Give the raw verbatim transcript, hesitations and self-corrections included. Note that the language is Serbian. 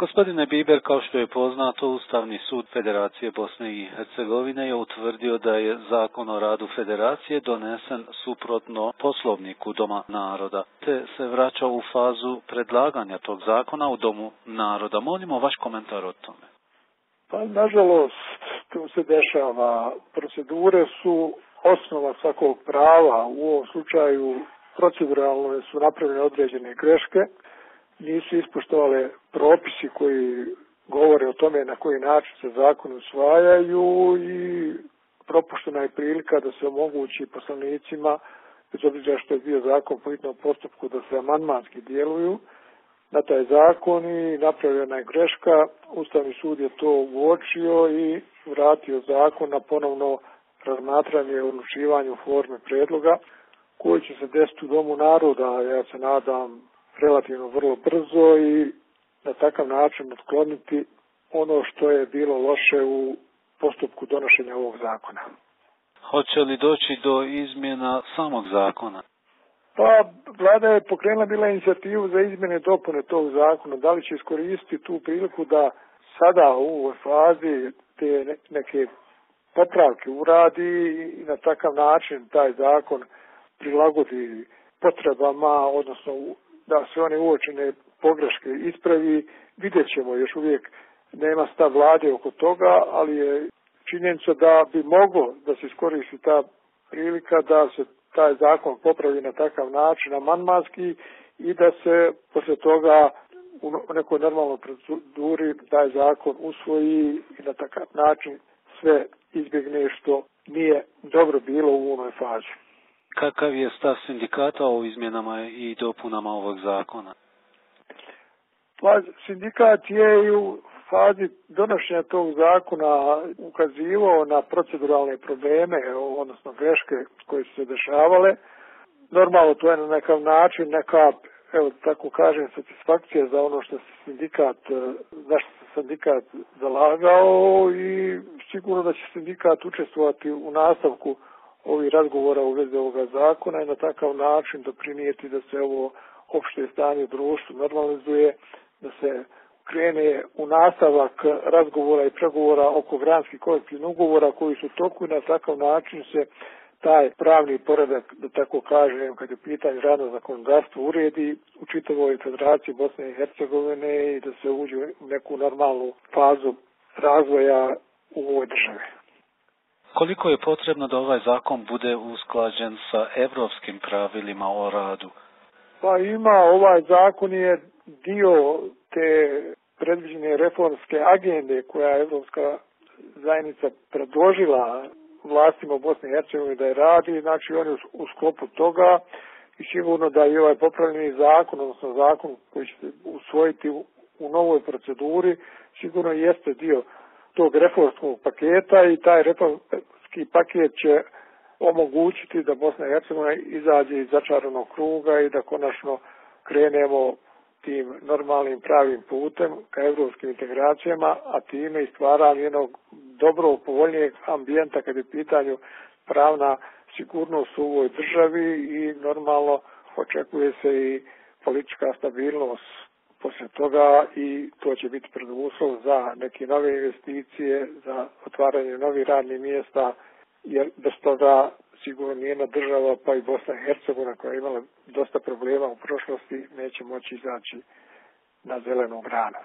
Gospodine Biber, kao što je poznato, Ustavni sud Federacije Bosne i Hercegovine je utvrdio da je Zakon o radu Federacije donesen suprotno Poslovniku Doma naroda, te se vraća u fazu predlaganja tog zakona u Domu naroda. Molimo vaš komentar o tome. Pa, nažalost, to se dešava. Procedure su osnova svakog prava. U ovom slučaju proceduralno su napravljene određene greške. Nisu ispoštovale propisi koji govore o tome na koji način se zakon usvajaju i propuštena je prilika da se omogući poslanicima, bez obzira što je bio zakon po hitnom postupku, da se amandmanski djeluju na taj zakon i napravljena je greška. Ustavni sud je to uočio i vratio zakon na ponovno razmatranje i odlučivanje u formi predloga koji će se desiti u Domu naroda, ja se nadam, relativno vrlo brzo i na takav način otkloniti ono što je bilo loše u postupku donošenja ovog zakona. Hoće li doći do izmjena samog zakona? Pa, vlada je pokrenula bila inicijativu za izmjene i dopune tog zakona. Da li će iskoristiti tu priliku da sada u ovoj fazi te neke popravke uradi i na takav način taj zakon prilagodi potrebama, odnosno da sve one uočene pogreške ispravi. Vidjet ćemo, još uvijek nema stav vlade oko toga, ali je činjenica da bi moglo da se iskoristi ta prilika da se taj zakon popravi na takav način amandmanski i da se poslije toga u nekoj normalnoj proceduri taj zakon usvoji i na takav način sve izbjegne što nije dobro bilo u onoj fazi. Kakav je stav sindikata o izmjenama i dopunama ovog zakona? Pa, sindikat je i u fazi donošenja tog zakona ukazivao na proceduralne probleme, odnosno greške koje su se dešavale. Normalno, to je na nekav način neka, evo tako kažem, satisfakcija za ono što se sindikat, zašto se sindikat zalagao i sigurno da će sindikat učestvovati u nastavku ovih razgovora u vezi ovoga zakona i na takav način doprinijeti da se ovo opšte stanje u društvu normalizuje, da se krene u nastavak razgovora i pregovora oko granskih kolektivnih ugovora koji su u toku i na takav način se taj pravni poredak, da tako kažem, kad je pitanje radno zakonodavstvo, uredi u čitavoj Federaciji Bosne i Hercegovine i da se uđe u neku normalnu fazu razvoja u ovoj državi. Koliko je potrebno da ovaj zakon bude usklađen sa evropskim pravilima o radu? Pa ima, ovaj zakon je dio te predviđene reformske agende koja je Evropska zajednica predložila vlastima Bosne i Hercegovine da je radi, znači on je u sklopu toga i sigurno da je ovaj popravljeni zakon, odnosno zakon koji će se usvojiti u, u novoj proceduri, sigurno jeste dio tog reformskog paketa i taj reformski paket će omogućiti da Bosna i Hercegovina izađe iz začaranog kruga i da konačno krenemo tim normalnim pravim putem ka evropskim integracijama, a time i stvaranje jednog dobro povoljnijeg ambijenta kad je pitanju pravna sigurnost u ovoj državi i normalno očekuje se i politička stabilnost poslije toga i to će biti preduslov za neke nove investicije, za otvaranje novih radnih mjesta, jer bez toga sigurno nijedna država, pa i Bosna i Hercegovina koja je imala dosta problema u prošlosti, neće moći izaći na zelenu granu.